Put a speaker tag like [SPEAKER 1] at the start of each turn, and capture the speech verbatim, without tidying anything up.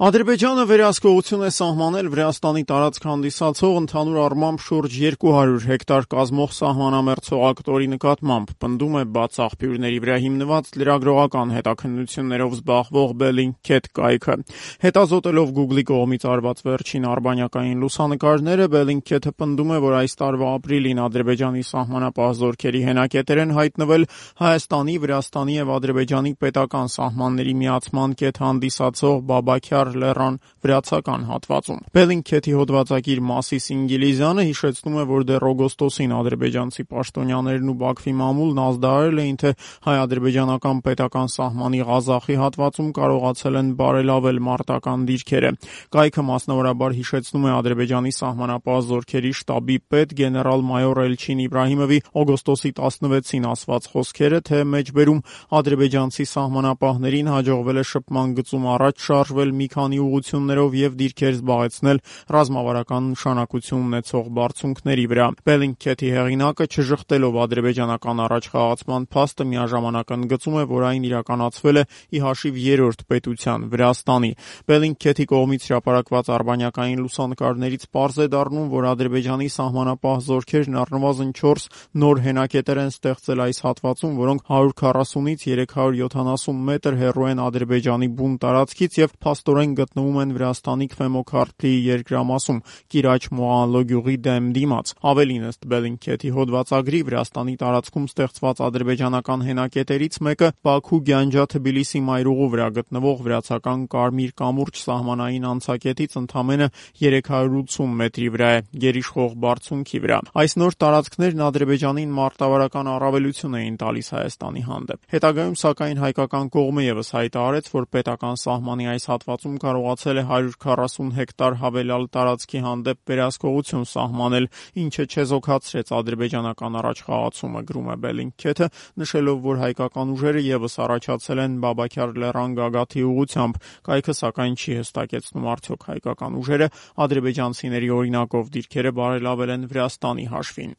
[SPEAKER 1] Ադրբեջանը վերահսկողություն է սահմանել Վրաստանի տարածք հանդիսացող ընդհանուր առմամբ շուրջ երկու հարյուր հեկտար կազմող սահմանամերձ հողակտորի նկատմամբ, պնդում է բաց աղբյուրների վրա հիմնված լրագրողական հետաքննություններով զբաղվող Bellingcat կայքը։ Հետազոտելով Google-ի կողմից արված վերջին արբանյակային լուսանկարները, Bellingcat-ը պնդում է, որ այս տարվա ապրիլին Ադրբեջանի սահմանապահ զորքերի հենակետեր են հայտնվել Հայաստանի, Վրաստանի և Ադրբեջանի պետական սահմանների միացման կետ հանդիսացող Բաբաքյար լեռան վրացական հատվածում։ Bellingcat-ի հոդվածագիր Մասիս Ինգիլիզյանը հիշեցնում է, որ դեռ օգոստոսին ադրբեջանցի պաշտոնյաներն ու Բաքվի մամուլն ազդարարել էին, թե հայ-ադրբեջանական պետական սահմանի Ղազախի հատվածում կարողացել են բարելավել մարտական դիրքերը։ Կայքը մասնավորաբար հիշեցնում է Ադրբեջանի սահմանապահ զորքերի շտաբի պետ գեներալ-մայոր Էլչին Իբրահիմովի օգոստոսի տասնվեցին ասված խոսքերը, թե մեջբերում ադրբեջանցի սահմանապահներին հաջողվել է շփման գծում առաջ շարժվել մի քանի ուղղություններով և դիրքեր զբաղեցնել ռազմավարական նշանակություն ունեցող բարձունքների վրա։ Bellingcat-ի հեղինակը, չժխտելով ադրբեջանական առաջխաղացման փաստը, միաժամանակ ընդգծում է, որ այն իրականացվել է ի հաշիվ երրորդ պետության՝ Վրաստանի։ Bellingcat-ի կողմից հրապարակված արբանյակային լուսանկարներից պարզ է դառնում, որ Ադրբեջանի սահմանապահ զորքերն առնվազն չորս նոր հենակետեր են ստեղծել այս հատվածում, որոնք հարյուր քառասունից երեք հարյուր յոթանասուն մետր հեռու են Ադրբեջանի բուն տարածքից և փաստորեն գտնվում են Վրաստանի Քվեմոքարթլիի երկրամասում՝ Կիրաչ Մոհանլո գյուղի դեմ դիմաց։ Ավելին, ըստ Bellingcat-ի հոդվածագրի, Վրաստանի տարածքում ստեղծված ադրբեջանական հենակետերից մեկը Բաքու-Գյանջա-Թբիլիսի մայրուղու վրա գտնվող վրացական Կարմիր կամուրջ սահմանային անցակետից ընդամենը երեք հարյուր ութսուն մետրի վրա է՝ գերիշխող բարձունքի վրա։ Այս նոր տարածքներն Ադրբեջանին մարտավարական առավելություն էին տալիս Հայաստանի հանդեպ։ Հետագայում, սակայն, հայկական կողմը ևս հայտարարեց, որ պետական սահմանի այս հատվածում կարողացել է հարյուր քառասուն հեկտար հավելյալ տարածքի հանդեպ վերահսկողություն սահմանել, ինչը չեզոքացրեց ադրբեջանական առաջխաղացումը, գրում է Bellingcat-ը, նշելով, որ հայկական ուժերը ևս առաջացել են Բաբաքյար լեռան գագաթի ուղղությամբ։ Կայքը, սակայն, չի հստակեցնում, արդյոք հայկական ուժերը ադրբեջանցիների օրինակով դիրքերը բարելավել են Վրաստանի հաշվին։